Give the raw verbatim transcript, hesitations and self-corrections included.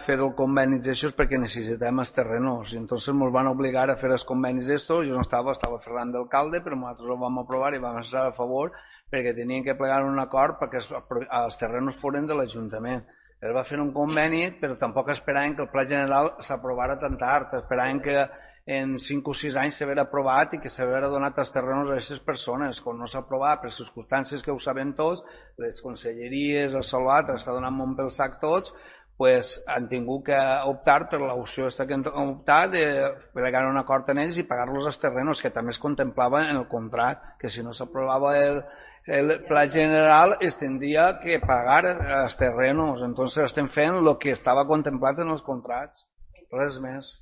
fer el conveni d'això perquè necessitem els terrenos, i entonces ens van obligar a fer els convenis d'estos. Jo no estava, estava Ferran d'alcalde, però nosaltres ho vam aprovar i vam estar a favor perquè tenien que plegar un acord perquè els terrenos foren de l'Ajuntament. Es va fer un conveni, però tampoc esperaven que el Pla General s'aprovara tan tard, esperaven que en cinc o sis anys s'haver aprovat i que s'haver donat els terrenos a aquestes persones. Quan no s'ha aprovat per circumstàncies que ho sabem tots, les conselleries, el Salvat, està donant molt pel sac tots, pues han tingut que optar per l'opció que han optat de plegar un acord en ells i pagar-los els terrenos, que també es contemplava en el contracte, que si no s'aprovava el, el pla general es tindria que pagar els terrenos. Entonces estem fent el que estava contemplat en els contractes, res més.